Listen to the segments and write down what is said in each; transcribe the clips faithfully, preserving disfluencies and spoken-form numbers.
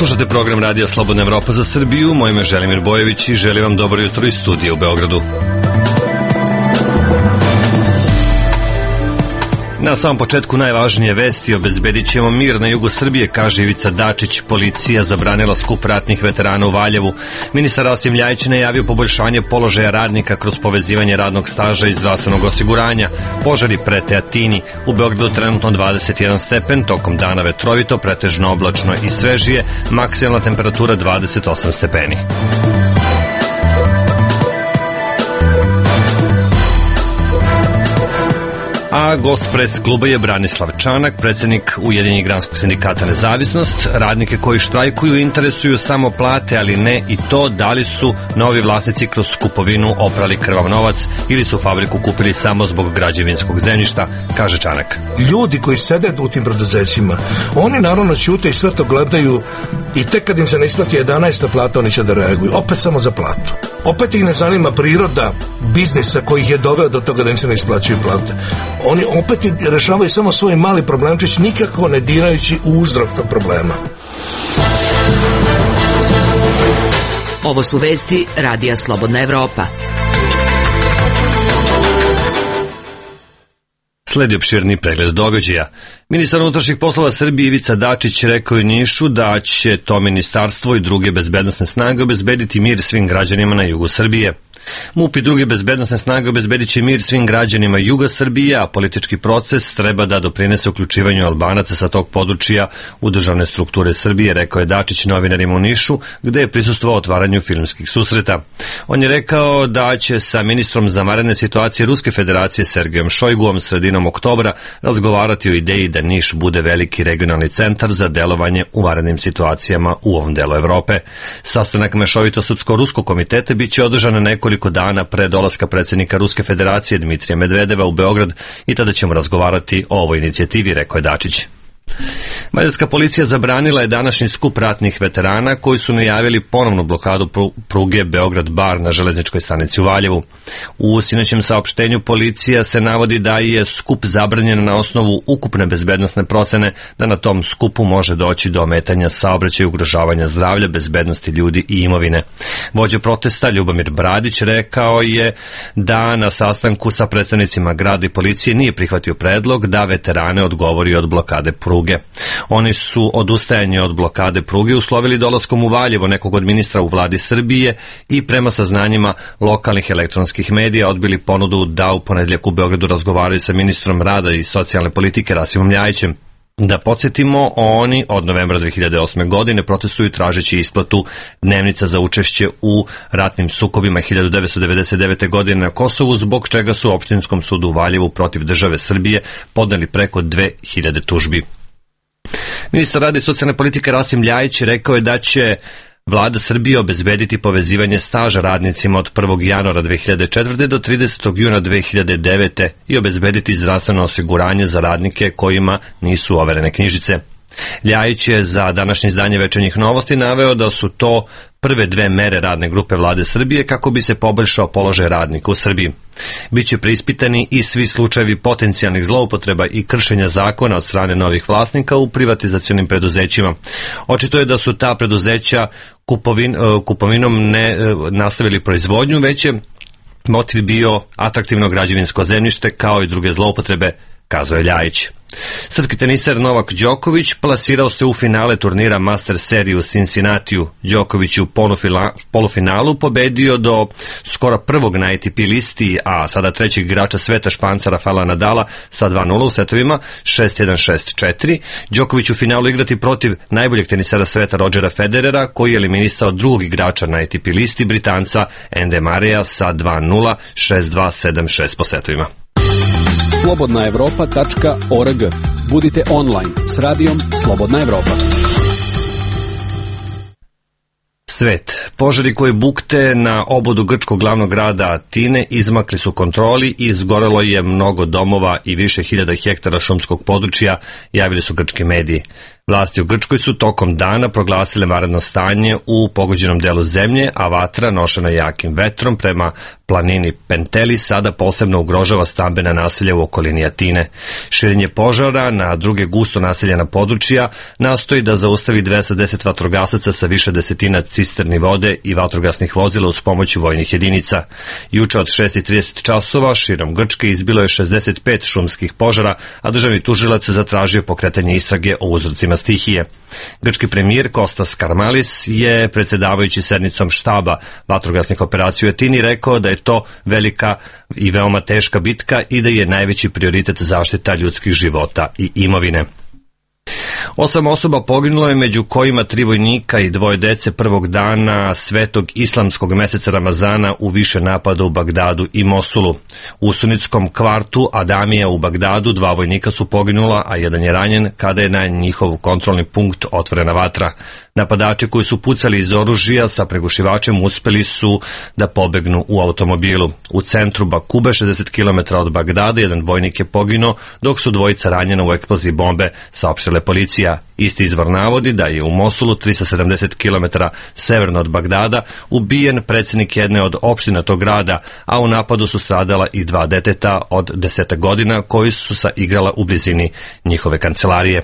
Slušate program Radija Slobodna Evropa za Srbiju. Moje ime je Želimir Bojević i želim vam dobro jutro iz studija u Beogradu. Na samom početku najvažnije vesti: obezbedit ćemo mir na jugu Srbije, kaže Ivica Dačić. Policija zabranila skup ratnih veterana u Valjevu. Ministar Rasim Ljajić najavio poboljšanje položaja radnika kroz povezivanje radnog staža i zdravstvenog osiguranja. Požari prete Atini. U Beogradu trenutno dvadeset jedan stepen, tokom dana vetrovito, pretežno oblačno i svežije, maksimalna temperatura dvadeset osam stepeni. A gost pres kluba je Branislav Čanak, predsjednik Ujedinjenog granskog sindikata Nezavisnost. Radnike koji štrajkuju interesuju samo plate, ali ne i to da li su novi vlasnici kroz kupovinu oprali krvav novac ili su fabriku kupili samo zbog građevinskog zemljišta, kaže Čanak. Ljudi koji sede u tim preduzećima, oni naravno ćute i sve to gledaju i tek kad im se ne isplati jedanaesta plata, oni će da reaguju, opet samo za platu. Opet ih ne zanima priroda biznisa koji ih je doveo do toga da im se ne isplaćuju plate. Oni opet rešavaju samo svoj mali problemčić, nikako ne dirajući u uzrok tog problema. Ovo su vesti Radija Slobodna Evropa. Sledi opširni pregled događaja. Ministar unutrašnjih poslova Srbije Ivica Dačić rekao je Nišu da će to ministarstvo i druge bezbednosne snage obezbediti mir svim građanima na jugu Srbije. MUP i druge bezbednosne snage obezbedit će mir svim građanima juga Srbije, a politički proces treba da doprinese uključivanju Albanaca sa tog područja u državne strukture Srbije, rekao je Dačić novinarima u Nišu, gde je prisustvovao otvaranju filmskih susreta. On je rekao da će sa ministrom za vanredne situacije Ruske federacije Sergejom Šojguom sredinom oktobra razgovarati o ideji da Niš bude veliki regionalni centar za delovanje u vanrednim situacijama u ovom delu Evrope. Sastanak mešovito srpsko-ruskog komiteta biće održan na nekoliko dana pre dolaska predsjednika Ruske federacije Dmitrija Medvedeva u Beograd i tada ćemo razgovarati o ovoj inicijativi, rekao je Dačić. Mađarska policija zabranila je današnji skup ratnih veterana koji su najavili ponovnu blokadu pruge Beograd-Bar na železničkoj stanici u Valjevu. U sinoćem saopštenju policija se navodi da je skup zabranjen na osnovu ukupne bezbednosne procene da na tom skupu može doći do ometanja saobraćaja i ugrožavanja zdravlja, bezbednosti ljudi i imovine. Vođa protesta Ljubomir Bradić rekao je da na sastanku sa predstavnicima grada i policije nije prihvatio predlog da veterane odgovori od blokade pruge. Oni su odustajanje od blokade pruge uslovili dolaskom u Valjevo nekog od ministra u vladi Srbije i prema saznanjima lokalnih elektronskih medija odbili ponudu da u ponedjeljak u Beogradu razgovaraju sa ministrom rada i socijalne politike Rasimom Ljajićem. Da podsjetimo, oni od novembra dve hiljade osme. godine protestuju tražeći isplatu dnevnica za učešće u ratnim sukobima hiljadu devetsto devedeset devete. godine na Kosovu, zbog čega su u opštinskom sudu u Valjevu protiv države Srbije podneli preko dve hiljade tužbi. Ministar rada i socijalne politike Rasim Ljajić rekao je da će Vlada Srbije obezbediti povezivanje staža radnicima od prvog januara dve hiljade četvrte. do tridesetog juna dve hiljade devete. i obezbediti zdravstveno osiguranje za radnike kojima nisu overene knjižice. Ljajić je za današnje izdanje Večernjih novosti naveo da su to prve dve mere radne grupe Vlade Srbije kako bi se poboljšao položaj radnika u Srbiji. Biće preispitani i svi slučajevi potencijalnih zloupotreba i kršenja zakona od strane novih vlasnika u privatizacionim preduzećima. Očito je da su ta preduzeća kupovin, kupovinom ne nastavili proizvodnju, već je motiv bio atraktivno građevinsko zemljište kao i druge zloupotrebe, kazao je Ljajić. Srpski teniser Novak Đoković plasirao se u finale turnira Master serije u Cincinnatiju. Đoković je u polufinalu pobedio do skoro prvog na A T P listi, a sada trećeg igrača sveta Španca Rafaela Nadala sa dva nula u setovima šest jedan šest četiri. Đoković u finalu igrati protiv najboljeg tenisera sveta Rodgera Federera, koji je eliminisao drugog igrača na A T P listi, Britanca Andy Murraya sa dva nula šest dva sedam šest po setovima. slobodna evropa tačka org. Budite online s radijom Slobodna Evropa. Svet. Požari koji bukte na obodu grčkog glavnog grada Atine izmakli su kontroli i izgorelo je mnogo domova i više hiljada hektara šumskog područja, javili su grčki mediji. Vlasti u Grčkoj su tokom dana proglasile vanredno stanje u pogođenom delu zemlje, a vatra, nošena jakim vetrom prema planini Penteli, sada posebno ugrožava stambena naselja u okolini Atine. Širenje požara na druge gusto naseljena područja nastoji da zaustavi dvesta deset vatrogasaca sa više desetina cisterni vode i vatrogasnih vozila uz pomoć vojnih jedinica. Juče od šest i trideset časova širom Grčke izbilo je šezdeset pet šumskih požara, a državni tužilac zatražio pokretanje istrage o uzrocima stihije. Grčki premijer Kostas Karmalis je, predsedavajući sednicom štaba vatrogasnih operacija u Atini, rekao da je to velika i veoma teška bitka i da je najveći prioritet zaštita ljudskih života i imovine. Osam osoba poginulo je, među kojima tri vojnika i dvoje dece prvog dana svetog islamskog meseca Ramazana u više napada u Bagdadu i Mosulu. U sunitskom kvartu Adamija u Bagdadu dva vojnika su poginula, a jedan je ranjen kada je na njihov kontrolni punkt otvorena vatra. Napadači koji su pucali iz oružja sa pregušivačem uspeli su da pobegnu u automobilu. U centru Bakube, šezdeset kilometara od Bagdada, jedan vojnik je poginuo, dok su dvojica ranjena u eksploziji bombe, saopštila policija. Isti izvor navodi da je u Mosulu, trista sedamdeset kilometara severno od Bagdada, ubijen predsjednik jedne od opština tog grada, a u napadu su stradala i dva deteta od deseta godina koji su se igrala u blizini njihove kancelarije.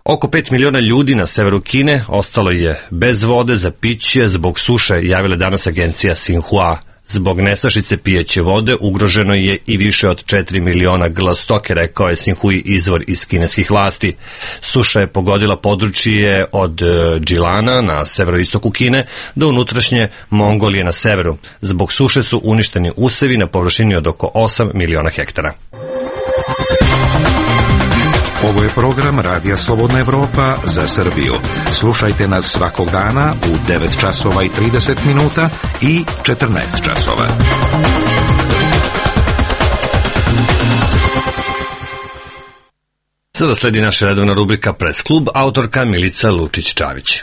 Oko pet miliona ljudi na severu Kine ostalo je bez vode za piće zbog suše, javila danas agencija Xinhua. Zbog nestašice pijeće vode ugroženo je i više od četiri miliona grla stoke, rekao je Xinhui izvor iz kineskih vlasti. Suša je pogodila područje od Džilana na severoistoku Kine do unutrašnje Mongolije na severu. Zbog suše su uništeni usevi na površini od oko osam miliona hektara. Ovo je program Radija Slobodna Evropa za Srbiju. Slušajte nas svakog dana u devet časova i trideset minuta i četrnaest časova. Sada sledi naša redovna rubrika Press klub, autorka Milica Lučić-Čavić.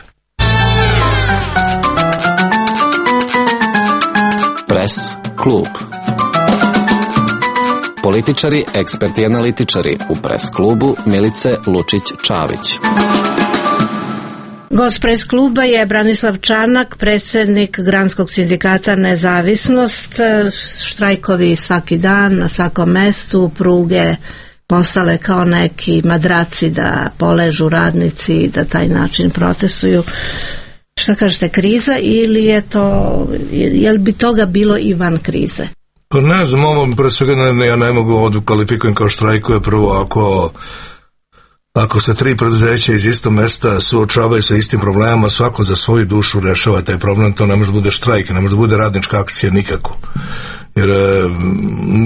Press klub. Političari, eksperti i analitičari u Press klubu Milice Lučić-Čavić. Gost Press kluba je Branislav Čanak, predsjednik Granskog sindikata Nezavisnost. Štrajkovi svaki dan, na svakom mestu, pruge postale kao neki madraci da poležu radnici i da taj način protestuju. Šta kažete, kriza ili je to, je li bi toga bilo i van krize? Pa ne znam, ovo pre svega ne, ja ne mogu ovdje kvalifikujem kao štrajkuje. Prvo, ako ako se tri preduzeća iz istog mesta suočavaju sa istim problemama, svako za svoju dušu rešava taj problem, to ne može bude štrajk, ne može bude radnička akcija nikako. Jer e,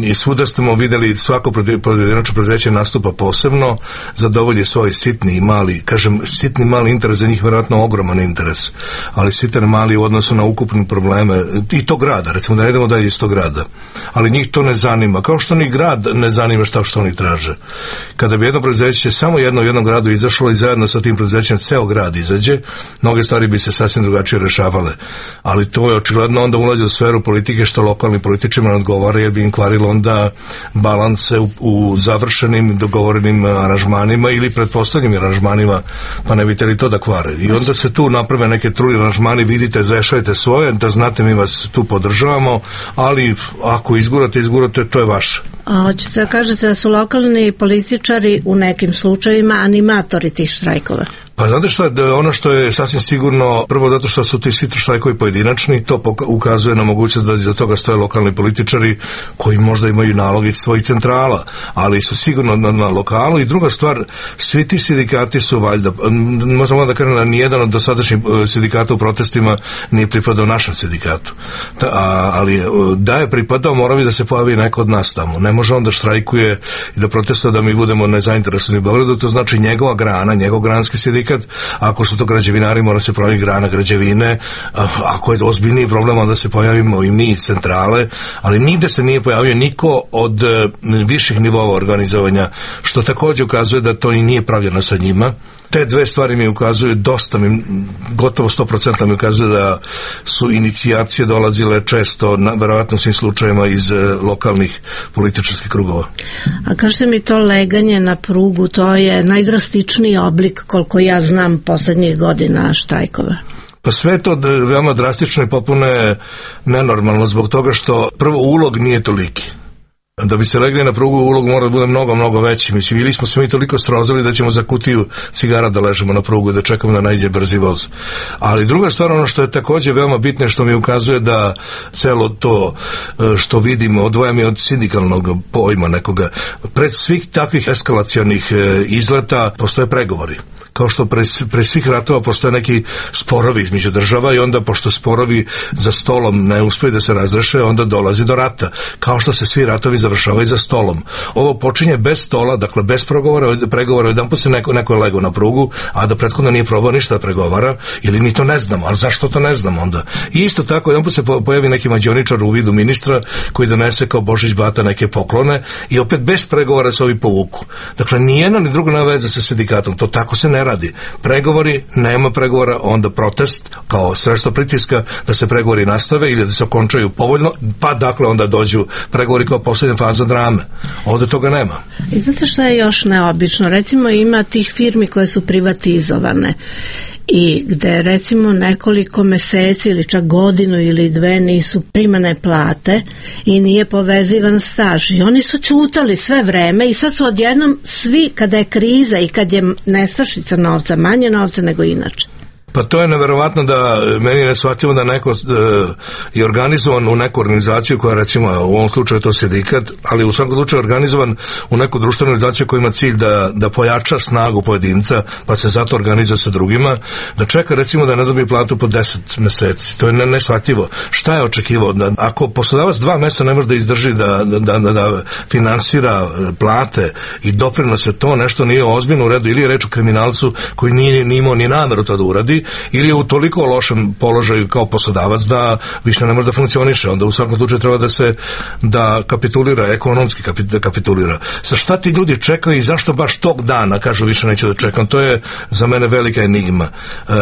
i svuda smo vidjeli svako pojedinačno preduzeće nastupa posebno, zadovolji svoj sitni i mali, kažem sitni mali interes, za njih vjerojatno ogroman interes, ali sitan mali u odnosu na ukupne probleme i tog grada, recimo da ne idemo dalje iz tog grada, ali njih to ne zanima, kao što ni grad ne zanima šta što oni traže. Kada bi jedno preduzeće samo jedno u jednom gradu izašlo i zajedno sa tim preduzećem ceo grad izađe, mnoge stvari bi se sasvim drugačije rešavale, ali to je očigledno onda ulazi u sferu politike što lokalni političari ne odgovara, jer bi im kvarilo onda balanse u, u završenim dogovorenim aranžmanima ili pretpostavljenim aranžmanima, pa ne biste li to da kvare. I onda se tu naprave neke truli aranžmani, vidite, rešajte svoje, da znate mi vas tu podržavamo, ali ako izgurate, izgurate, to je vaše. A hoćete da kažete da su lokalni političari u nekim slučajevima animatori tih štrajkova? Pa znate što je, ono što je sasvim sigurno, prvo zato što su ti svi štrajkovi pojedinačni, to ukazuje na mogućnost da iza toga stoje lokalni političari koji možda imaju nalog iz svojih centrala, ali su sigurno na, na lokalu. I druga stvar, svi ti sindikati su valjda, možemo da kažem da nijedan od dosadašnjih sindikata u protestima nije pripadao našem sindikatu. Ta, a, ali da je pripadao, mora bi da se pojavi neko od nas tamo. Ne može on da štrajkuje i da protestuje da mi budemo nezainteresovani u Beogradu, to znači njegova grana, njegov granski sindikat. Ako su to građevinari, mora se pojaviti grana građevine, ako je ozbiljniji problem, onda se pojavimo i mi iz centrale, ali nigde se nije pojavio niko od viših nivova organizovanja, što također ukazuje da to i nije pravljeno sa njima, Te dve stvari mi ukazuju, dosta mi, gotovo sto posto mi ukazuju da su inicijacije dolazile često, na, verovatno svim slučajima, iz e, lokalnih političarskih krugova. A kažete mi, to leganje na prugu, to je najdrastičniji oblik, koliko ja znam, poslednjih godina štrajkova? Pa sve to veoma drastično i potpuno je nenormalno zbog toga što prvo ulog nije toliki. Da bi se legli na prugu, ulog mora da bude mnogo, mnogo veći. Mislim, ili smo se mi toliko strozali da ćemo za kutiju cigara da ležemo na prugu i da čekamo da naiđe brzi voz. Ali druga stvar, ono što je takođe veoma bitno, što mi ukazuje da celo to što vidimo odvajam je od sindikalnog pojma nekoga. Pred svih takvih eskalacionih izleta postoje pregovori. Kao što pre, pre svih ratova postoje neki sporovi između država i onda pošto sporovi za stolom ne uspeju da se razreše, onda dolazi do rata. Kao što se svi ratovi završavaju za stolom. Ovo počinje bez stola, dakle bez pregovora, pregovora jedan put se neko, neko je legao na prugu, a da prethodno nije probao ništa da pregovara, ili mi to ne znamo, ali zašto to ne znamo onda? I isto tako, jedan put se pojavi neki mađioničar u vidu ministra koji donese kao Božić Bata neke poklone i opet bez pregovora se ovi povuku. Dakle, ni jedna ni druga nema veze sa sindikatom, to tako se ne radi. Pregovori, nema pregovora, onda protest kao sredstvo pritiska da se pregovori nastave ili da se okončaju povoljno, pa dakle onda dođu pregovori kao posljednja faza drame. Ovde toga nema. I znate što je još neobično? Recimo, ima tih firmi koje su privatizovane i gde recimo nekoliko meseci ili čak godinu ili dve nisu primane plate i nije povezivan staž i oni su ćutali sve vreme i sad su odjednom svi, kada je kriza i kad je nestašica novca, manje novca nego inače. Pa to je neverovatno da meni je neshvatljivo da neko e, je organizovan u neku organizaciju koja, recimo u ovom slučaju to sindikat, ali u svakom slučaju organizovan u neku društvenu organizaciju koja ima cilj da, da pojača snagu pojedinca, pa se zato organizuje sa drugima, da čeka recimo da ne dobije platu po deset meseci. To je neshvatljivo. Šta je očekivao? Da, ako poslodavac dva meseca ne može da izdrži da, da, da, da finansira plate i doprinose, to nešto nije ozbiljno u redu, ili je reč o kriminalcu koji nije, nije imao ni nameru to da uradi, ili je u toliko lošem položaju kao poslodavac da više ne može da funkcioniše. Onda u svakom slučaju treba da se da kapitulira, ekonomski da kapitulira. Sa šta ti ljudi čekaju i zašto baš tog dana kažu više neću da čekam? To je za mene velika enigma. E,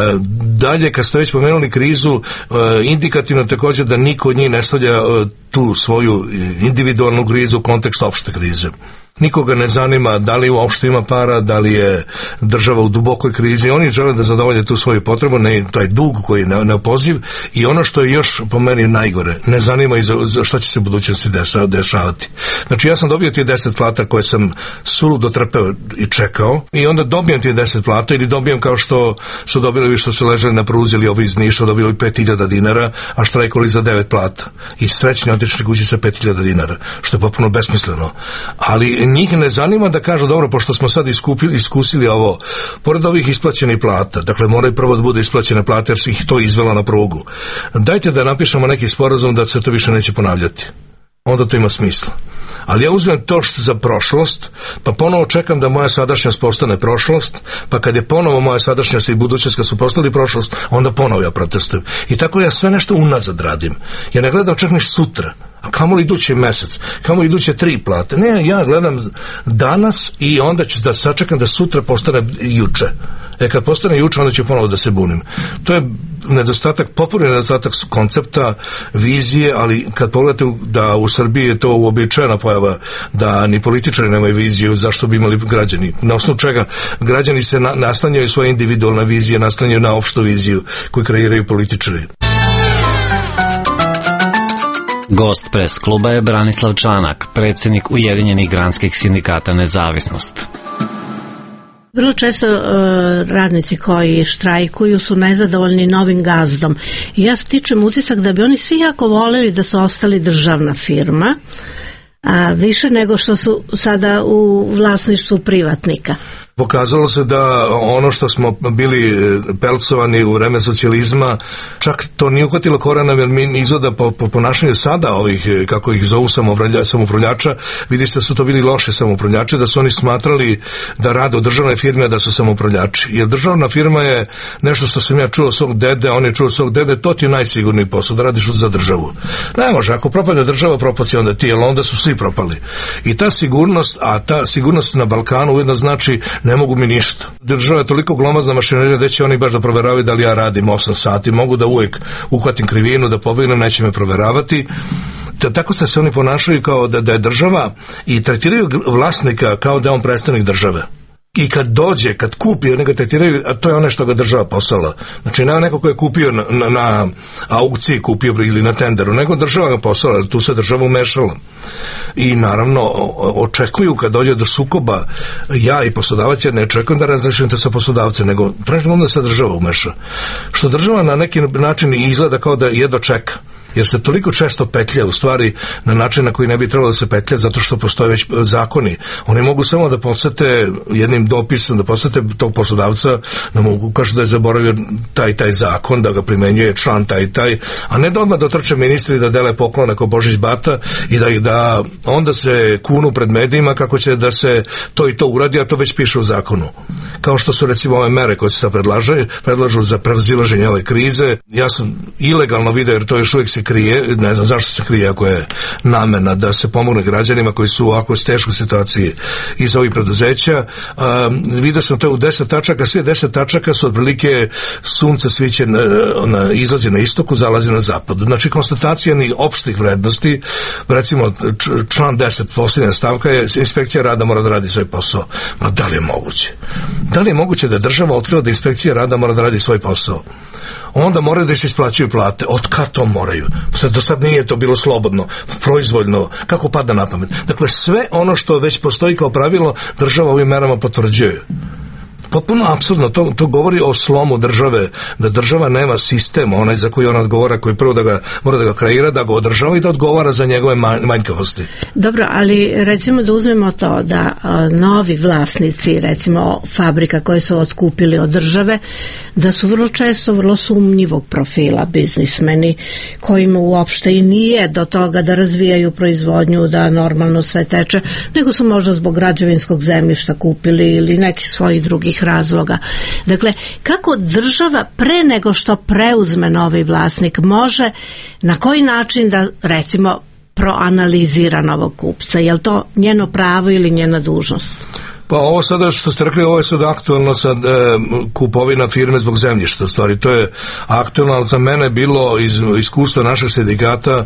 dalje, kad ste već pomenuli krizu, e, indikativno također da niko od njih ne stavlja e, tu svoju individualnu krizu u kontekst opšte krize. Nikoga ne zanima da li uopšte ima para, da li je država u dubokoj krizi. Oni žele da zadovolje tu svoju potrebu, ne, taj dug koji je neopoziv, i ono što je još po meni najgore, ne zanima i za, za šta će se u budućnosti desa, dešavati. Znači, ja sam dobio ti deset plata koje sam suludo trpeo i čekao, i onda dobijem ti deset plata ili dobijem kao što su dobili, što su ležali na pruzi, ili ovi iz Niša dobili pet hiljada dinara, a štrajkovali za devet plata. I srećni otišli kući sa pet hiljada dinara, što je potpuno besmisleno. Ali njih ne zanima da kažu, dobro, pošto smo sad iskupili, iskusili ovo, pored ovih isplaćenih plata, dakle moraju prvo da bude isplaćene plate jer su ih to izvelo na prugu, dajte da napišemo neki sporazum da se to više neće ponavljati. Onda to ima smisla. Ali ja uzmem to što za prošlost, pa ponovo čekam da moja sadašnjost postane prošlost, pa kad je ponovo moja sadašnjost i budućnost kad su postali prošlost, onda ponovo ja protestujem. I tako ja sve nešto unazad radim. Ja ne gledam čak ni sutra, a kamo li idući mesec, kamo li iduće tri plate. Ne, ja gledam danas i onda ću da sačekam da sutra postane juče. E kad postane juče, onda ću ponovo da se bunim. To je nedostatak, popularni nedostatak koncepta, vizije, ali kad pogledate da u Srbiji je to uobičajena pojava, da ni političari nemaju viziju, zašto bi imali građani. Na osnovu čega građani se na, naslanjaju svoje individualne vizije, naslanjaju na opštu viziju koju kreiraju političari. Gost pres kluba je Branislav Čanak, predsjednik Ujedinjenih granskih sindikata Nezavisnost. Vrlo često uh, radnici koji štrajkuju su nezadovoljni novim gazdom. I ja stičem utisak da bi oni svi jako voleli da su ostali državna firma, a više nego što su sada u vlasništvu privatnika. Pokazalo se da ono što smo bili pelcovani u vreme socijalizma, čak to nije uhvatilo korena, jer mi izgleda po, po ponašanju sada ovih, kako ih zovu samoupravljača, vidiš da su to bili loše samoupravljači, da su oni smatrali da rade u državnoj firmi, a da su samoupravljači. Jer državna firma je nešto što sam ja čuo od svog dede, on je čuo od svog dede, to ti je najsigurniji posao, da radiš za državu. Ne može, ako propadne država, propaci onda ti, jer onda su svi propali. I ta sigurnost, a ta sigurnost na Balkanu ujedno znači ne mogu mi ništa. Država je toliko glomazna mašinerija da će oni baš da proveravaju da li ja radim osam sati, mogu da uvek uhvatim krivinu, da pobegnem, neće me proveravati. Tako se oni ponašaju kao da, da je država i tretiraju vlasnika kao da je on predstavnik države. I kad dođe, kad kupi, oni ga tretiraju, a to je ono što ga država poslala. Znači, ne neko ko je kupio na, na, na aukciji, kupio ili na tenderu, nego država ga poslala, tu se država umešala. I naravno, očekuju kad dođe do sukoba, ja i poslodavac, ja ne očekujem da razrešim to sa poslodavcem, nego tražim onda se država umeša. Što država na neki način izgleda kao da jedva čeka. Jer se toliko često petlja u stvari na način na koji ne bi trebalo da se petlja, zato što postoje već zakoni. Oni mogu samo da podsete jednim dopisom, da podsete tog poslodavca, da mu kažu da je zaboravio taj taj zakon, da ga primenjuje član taj taj, a ne da odmah dotrče ministri da dele poklone kao Božić Bata i da, da onda se kunu pred medijima kako će da se to i to uradi, a to već piše u zakonu. Kao što su recimo ove mere koje se sad predlaže, predlažu za prevazilaženje ove krize. Ja sam ilegalno video, jer to još uvijek se krije, ne znam zašto se krije ako je namena da se pomogne građanima koji su u ovako teškoj situaciji iz ovih preduzeća. Um, vidio sam to u deset tačaka, sve deset tačaka su otprilike sunce sviće na, na, izlazi na istoku, zalazi na zapadu. Znači konstatacija ni opštih vrednosti, recimo član deset posljednja stavka je inspekcija rada mora da radi svoj posao. Ma da li je moguće? Da li je moguće da država otkriva da inspekcija rada mora da radi svoj posao? Onda moraju da se isplaćuju plate. Od kad to moraju? Sad, do sad nije to bilo slobodno, proizvoljno, kako pada na pamet. Dakle, sve ono što već postoji kao pravilo, država ovim merama potvrđuje. Potpuno apsurdno, to, to govori o slomu države, da država nema sistem, onaj za koji ona odgovara, koji prvo da ga, mora da ga kreira, da ga održava i da odgovara za njegove manjkavosti. Dobro, ali recimo da uzmemo to da a, novi vlasnici, recimo fabrika koje su otkupili od države, da su vrlo često vrlo sumnjivog profila biznismeni, kojima uopšte i nije do toga da razvijaju proizvodnju, da normalno sve teče, nego su možda zbog građevinskog zemljišta kupili ili nekih svojih drugih razloga. Dakle, kako država pre nego što preuzme novi vlasnik može, na koji način da recimo proanalizira novog kupca? Je li to njeno pravo ili njena dužnost? Pa ovo sada što ste rekli, ovo je sad aktualno sad e, kupovina firme zbog zemljišta, stvari to je aktualno, ali za mene bilo iz iskustva našeg sindikata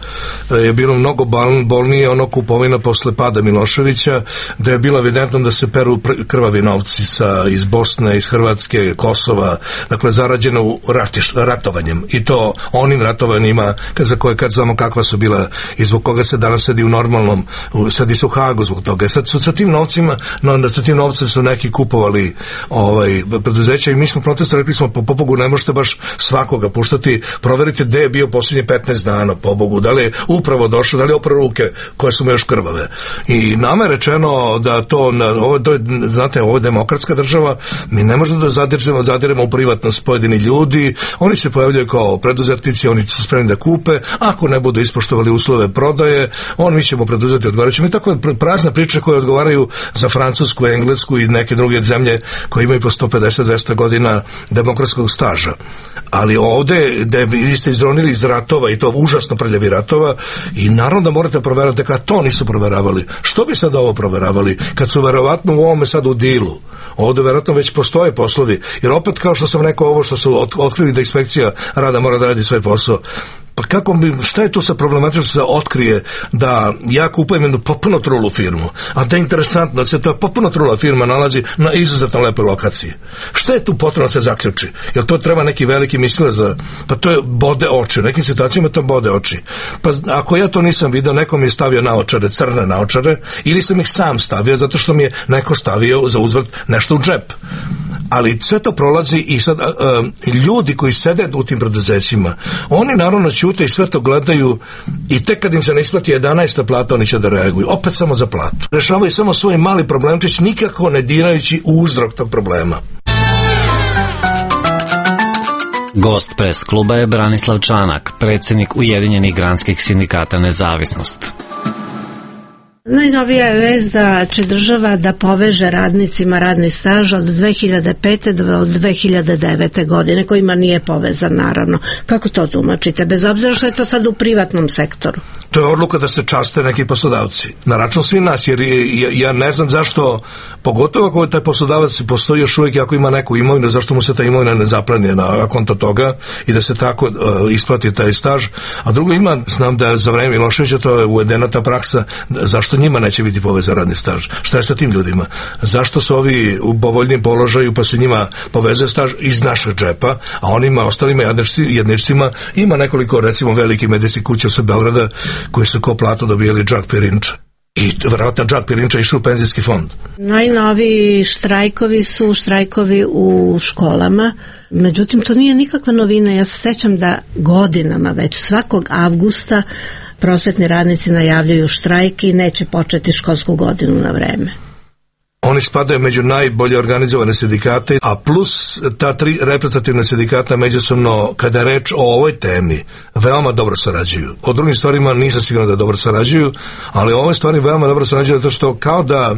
e, je bilo mnogo bolnije ono kupovina posle pada Miloševića, da je bilo evidentno da se peru krvavi novci sa, iz Bosne, iz Hrvatske, Kosova, dakle zarađeno u ratiš, ratovanjem i to onim ratovanjima za koje kad znamo kakva su bila i zbog koga se danas sedi u normalnom, sedi se u Hagu zbog toga. Sad su sa tim novcima, no da su tim novcem su neki kupovali ovaj, preduzeća i mi smo protestovali, rekli smo po pobogu ne možete baš svakoga puštati, proverite gde je bio posljednje petnaest dana, pobogu, da li je upravo došao, da li je opravo ruke koje su mu još krvave. I nama je rečeno da to, ovo, to je, znate, ovo je demokratska država, mi ne možemo da zadiremo, zadiremo u privatnost pojedini ljudi, oni se pojavljaju kao preduzetnici, oni su spremni da kupe, ako ne budu ispoštovali uslove prodaje, on mi ćemo preduzeti odgovarajući. Mi tako prazne priče koje odgovaraju za Francusku, Englesku i neke druge zemlje koje imaju po sto pedeset do dvesta godina demokratskog staža. Ali ovde, gde vi ste izronili iz ratova i to užasno prljavi ratova i naravno da morate proverati kad to nisu proveravali. Što bi sad ovo proveravali? Kad su verovatno u ovome sad u dilu. Ovde verovatno već postoje poslovi. Jer opet kao što sam rekao ovo što su otkrili da inspekcija rada mora da radi svoj posao. Pa kako bi, šta je tu sa problematično se otkrije da ja kupujem jednu potpuno trulu firmu, a da je interesantno da se ta potpuno trula firma nalazi na izuzetno lepoj lokaciji. Šta je tu potrebno da se zaključi? Jer to treba neki veliki mislilac da, pa to je bode oči, u nekim situacijama to bode oči. Pa ako ja to nisam vidio, neko mi je stavio naočare, crne naočare, ili sam ih sam stavio zato što mi je neko stavio za uzvrt nešto u džep. Ali sve to prolazi i sad a, a, ljudi koji sede u tim preduzećima, oni naravno ćute i sve to gledaju i tek kad im se ne isplati jedanaesta plata oni će da reaguju, opet samo za platu. Rešavaju samo svoj mali problemčić, nikako ne dirajući u uzrok tog problema. Gost pres kluba je Branislav Čanak, predsjednik Ujedinjenih granskih sindikata Nezavisnost. Najnovija je vest da će država da poveže radnicima radni staž od dve hiljade pete do dve hiljade devete godine, kojima nije povezan, naravno. Kako to tumačite, bez obzira što je to sad u privatnom sektoru? To je odluka da se časte neki poslodavci. Na račun svi nas, jer ja, ja ne znam zašto, pogotovo ako taj poslodavac postoji još uvijek, ako ima neku imovinu, zašto mu se ta imovina ne zaplani na konto toga i da se tako uh, isplati taj staž. A drugo, ima, znam da za vreme Miloševića to je uvedena ta praksa, zašto njima neće biti povezan radni staž? Šta je sa tim ljudima? Zašto su ovi u povoljnijem položaju pa se njima povezuje staž iz našeg džepa, a onima ostalima jedničcima ima nekoliko, recimo, velikih medicinskih kuća sa Beograda koji su ko platu dobijali džak pirinča. I vjerojatno džak pirinča išao u penzijski fond. Najnoviji štrajkovi su štrajkovi u školama, međutim to nije nikakva novina. Ja se sećam da godinama već svakog avgusta prosvetni radnici najavljaju štrajk i neće početi školsku godinu na vreme. Oni spadaju među najbolje organizovane sindikate, a plus ta tri reprezentativna sindikata međusobno, kada je reč o ovoj temi, veoma dobro sarađuju. O drugim stvarima nisam siguran da dobro sarađuju, ali o ovoj stvari veoma dobro sarađuju, zato što kao da,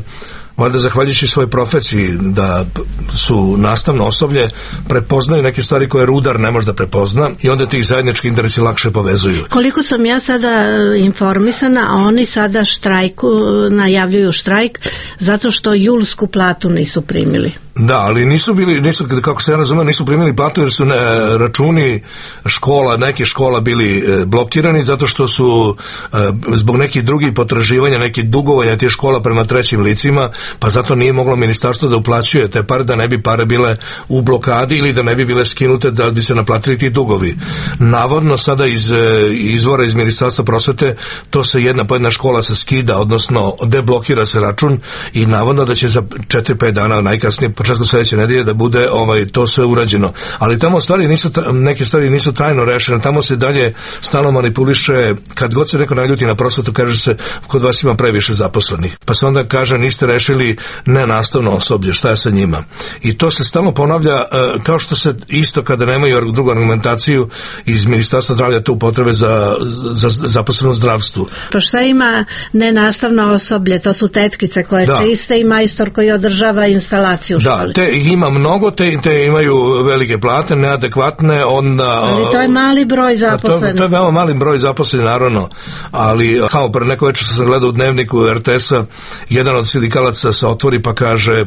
valjda zahvaljujući svojoj profesiji, da su nastavno osoblje, prepoznaju neke stvari koje rudar ne može da prepozna i onda ti zajednički interesi lakše povezuju. Koliko sam ja sada informisana, a oni sada štrajku, najavljuju štrajk zato što julsku platu nisu primili. Da, ali nisu bili, nisu, kako se ja razumem, nisu primili platu jer su ne, računi škola, neke škola bili e, blokirani zato što su e, zbog nekih drugih potraživanja, nekih dugovanja tih škola prema trećim licima, pa zato nije moglo ministarstvo da uplaćuje te pare, da ne bi pare bile u blokadi ili da ne bi bile skinute, da bi se naplatili ti dugovi. Navodno sada iz e, izvora iz Ministarstva prosvete to se jedna po jedna škola se skida, odnosno deblokira se račun i navodno da će za četiri pet dana najkasnije početku sljedeće nedelje da bude ovaj to sve urađeno. Ali tamo stvari nisu, neke stvari nisu trajno rešene, tamo se dalje stalno manipuliše, kad god se neko naljuti na prosvetu, kaže se kod vas ima previše zaposlenih. Pa se onda kaže niste rešili nenastavno osoblje, šta je sa njima. I to se stalno ponavlja, kao što se isto kada nemaju drugu argumentaciju iz Ministarstva zdravlja tu potrebe za, za zaposleno zdravstvu. Pa šta ima nenastavno osoblje? To su tetkice koje da. čiste i majstor koji održava instalaciju. Da, te ima mnogo, te, te imaju velike plate, neadekvatne, onda... Ali to je mali broj zaposlenih. To, to je veoma mali broj zaposlenih, naravno, ali kao pre neko večer što sam gledao u dnevniku er te es-a, jedan od sindikalaca se otvori pa kaže,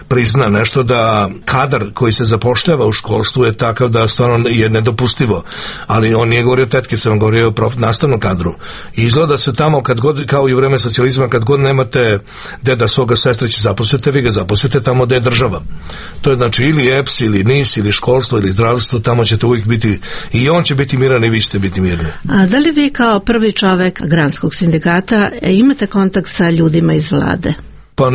prizna nešto da kadar koji se zapošljava u školstvu je takav da stvarno je nedopustivo, ali on nije govorio o tetkicama, on govorio o prof, nastavnom kadru. I izgleda se tamo, kad god, kao i u vreme socijalizma, kad god nemate deda svoga sestrića zaposlite, vi ga zaposlite tamo gde je država. To je znači ili E P S, ili N I S, ili školstvo, ili zdravstvo, tamo ćete uvijek biti, i on će biti miran i vi ćete biti mirni. A da li vi kao prvi čovek granskog sindikata imate kontakt sa ljudima iz vlade? Pa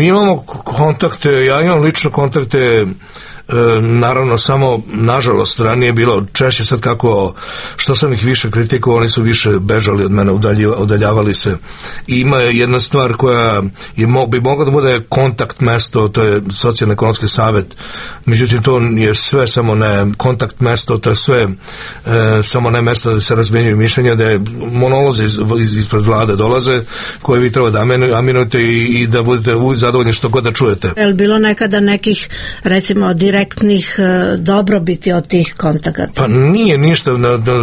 imamo kontakte, ja imam lično kontakte, E, naravno samo nažalost ranije bilo češće, sad kako što sam ih više kritikovao oni su više bežali od mene, udaljavali se. I ima jedna stvar koja je, bi mogla da bude kontakt mesto, to je socijalno-ekonomski savjet, međutim to je sve samo ne kontakt mesto, to je sve e, samo ne mesto da se razmjenjuju mišljenja, da je monolozi iz, iz, ispred vlade dolaze koje vi treba da aminujete i, i da budete zadovoljni što god da čujete. Je li bilo nekada nekih recimo direktnih dobrobiti od tih kontakata? Pa nije ništa,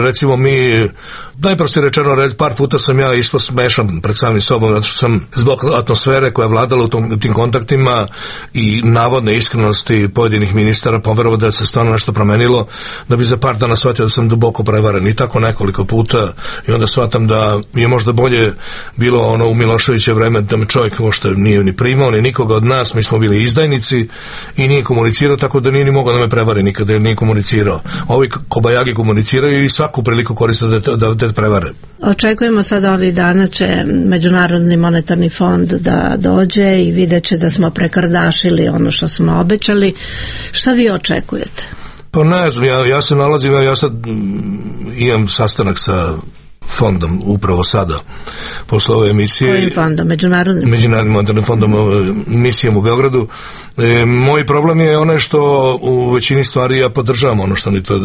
recimo mi najprostije rečeno, par puta sam ja ispod smešan pred samim sobom, zato što sam zbog atmosfere koja je vladala u tom, tim kontaktima i navodne iskrenosti pojedinih ministara poverovao da se stvarno nešto promenilo, da bi za par dana shvatio da sam duboko prevaren i tako nekoliko puta i onda shvatam da je možda bolje bilo ono u Miloševiće vreme da me čovjek možda nije ni primao ni nikoga od nas, mi smo bili izdajnici i nije komunicirao, tako da nije ni mogao da me prevari nikada jer nije komunicirao. Ovi kobajagi komuniciraju i svaku priliku koriste da te, da te prevare. Očekujemo sad ovih dana će Međunarodni monetarni fond da dođe i vidjet će da smo prekardašili ono što smo obećali. Šta vi očekujete? Pa ne znam, ja, ja se nalazim, ja sad imam sastanak sa fondom upravo sada posle ove emisije. Kojim fondom? Međunarodnim? Međunarodnim monetarnim fondom, misijom u Beogradu. E, moj problem je onaj što u većini stvari ja podržavam ono što oni to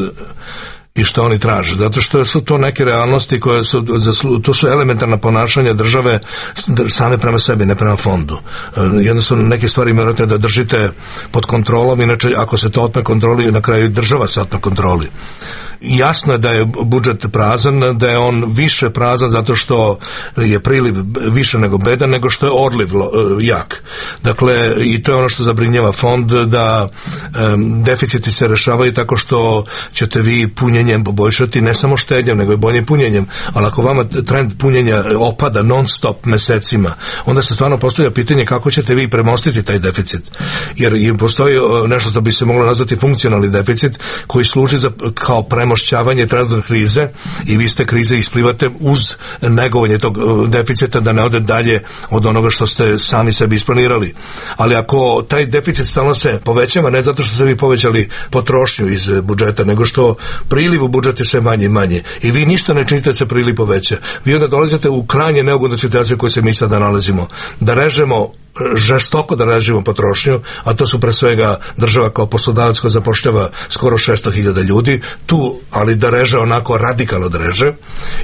i što oni traže, zato što su to neke realnosti koje su, to su elementarna ponašanja države same prema sebi, ne prema fondu. Jednostavno neke stvari morate da držite pod kontrolom, inače ako se to otme kontroli, na kraju država se otme kontroli. Jasno je da je budžet prazan, da je on više prazan zato što je priliv više nego bedan, nego što je odliv jak. Dakle, i to je ono što zabrinjava fond, da um, deficiti se rešavaju tako što ćete vi punjenjem poboljšati, ne samo štednjem, nego i boljim punjenjem, ali ako vama trend punjenja opada non stop mesecima, onda se stvarno postavlja pitanje kako ćete vi premostiti taj deficit. Jer i postoji nešto što bi se moglo nazvati funkcionalni deficit, koji služi za, kao premošćavanje trenutne krize, i vi ste krize isplivate uz negovanje tog deficita da ne ode dalje od onoga što ste sami sebi isplanirali. Ali ako taj deficit stalno se povećava, ne zato što ste vi povećali potrošnju iz budžeta, nego što priliv u budžet je sve manje i manje i vi ništa ne činite da se priliv poveća, vi onda dolazite u krajnje neugodnu situaciju u kojoj se mi sada nalazimo, da režemo žestoko da režimo potrošnju, a to su pre svega država kao poslodavac koja zapošljava skoro šesto hiljada ljudi, tu, ali da reže onako radikalno da reže,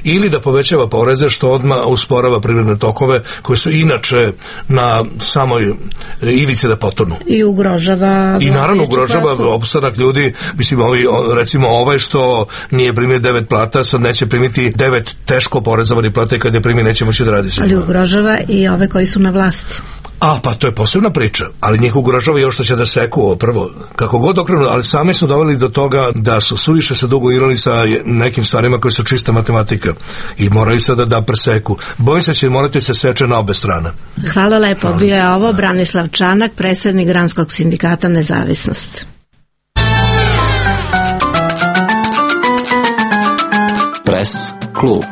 ili da povećava poreze što odmah usporava privredne tokove koji su inače na samoj ivici da potonu. I ugrožava... I naravno ugrožava opstanak ljudi, mislim, ovi, recimo ovaj što nije primio devet plata, sad neće primiti devet teško porezovani plata i kad je primi neće moći da radi se. Ali ugrožava i ove koji su na vlasti. A, pa to je posebna priča, ali njih ugrožava još što će da seku ovo prvo. Kako god okrenu, ali sami su doveli do toga da su suviše se dugo igrali sa nekim stvarima koje su čista matematika i moraju sada da preseku. Bojim se će morati se seče na obe strane. Hvala lepo, bio je ovo Branislav Čanak, predsjednik Granskog sindikata Nezavisnost. Pres klub.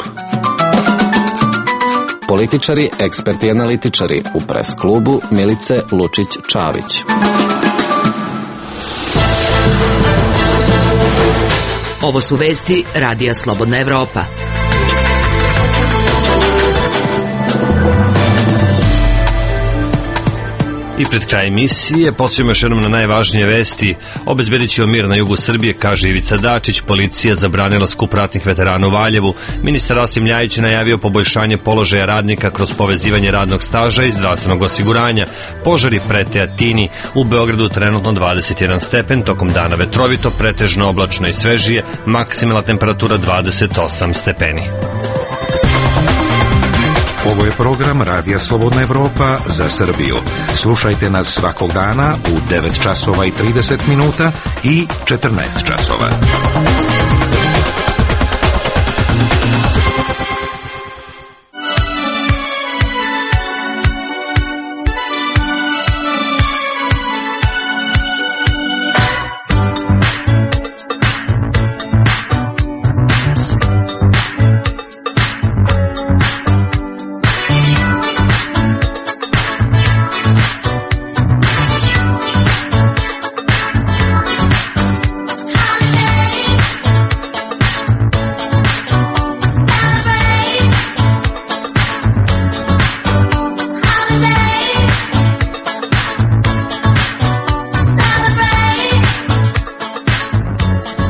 Političari, eksperti i analitičari u Pres klubu Milice Lučić-Čavić. Ovo su vesti Radija Slobodna Evropa. I pred kraj emisije podsjetimo još jednom na najvažnije vesti. Obezbedit će mir na jugu Srbije, kaže Ivica Dačić. Policija zabranila skup ratnih veterana u Valjevu. Ministar Rasim Ljajić je najavio poboljšanje položaja radnika kroz povezivanje radnog staža i zdravstvenog osiguranja. Požari prete Atini. U Beogradu trenutno dvadeset jedan stepen, tokom dana vetrovito, pretežno oblačno i svežije, maksimalna temperatura dvadeset osam stepeni. Ovo je program Radija Slobodna Evropa za Srbiju. Slušajte nas svakog dana u devet časova i trideset minuta i četrnaest časova.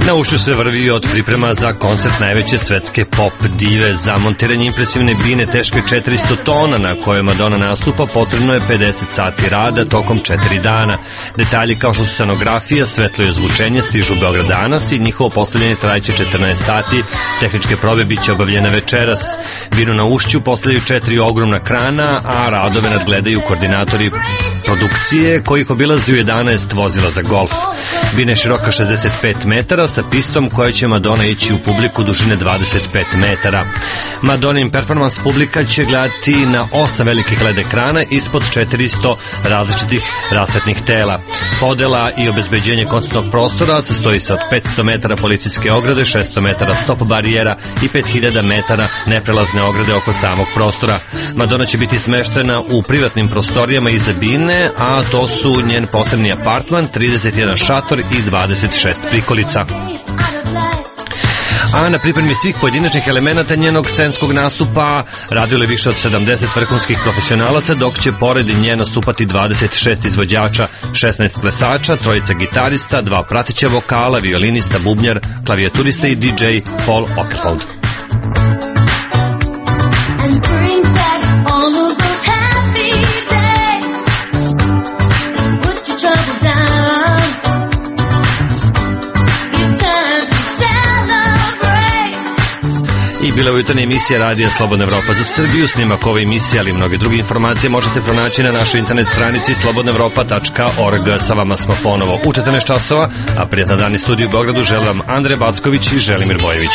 Na ušću se vrvi od priprema za koncert najveće svetske pop dive. Za montiranje impresivne bine teške četiristo tona na kojoj Madonna nastupa potrebno je pedeset sati rada tokom četiri dana. Detalji kao što su scenografija, svetlo i ozvučenje stižu u Beograd danas i njihovo postavljanje trajeće četrnaest sati. Tehničke probe biće obavljene večeras. Binu na ušću postavljaju četiri ogromna krana, a radove nadgledaju koordinatori produkcije kojih obilazi u jedanaest vozila za golf. Bina je široka šezdeset pet metara sa pistom koja će Madonna ići u publiku dužine dvadeset pet metara. Madonnin performans publika će gledati na osam velikih L E D ekrana ispod četiristo različitih rasvetnih tela. Podela i obezbeđenje koncertnog prostora sastoji se od petsto metara policijske ograde, šesto metara stop barijera i pet hiljada metara neprelazne ograde oko samog prostora. Madonna će biti smeštena u privatnim prostorijama iza bine, a to su njen posebni apartman, trideset jedan šator i dvadeset šest prikolica. a na pripremi svih pojedinačnih elemenata njenog scenskog nastupa radilo je više od sedamdeset vrhunskih profesionalaca, dok će pored nje nastupati dvadeset šest izvođača, šesnaest plesača, trojica gitarista, dva prateća vokala, violinista, bubnjar, klavijaturista i D J Paul Okerfold. I bila je jutarnja emisija Radija Slobodna Evropa za Srbiju. Snimak ove emisije, ali i mnoge druge informacije možete pronaći na našoj internet stranici slobodna evropa tačka org. Sa vama smo ponovo u četrnaest časova, a prijatan dan iz studiju u Beogradu želim vam Andrej Backović i Želimir Bojević.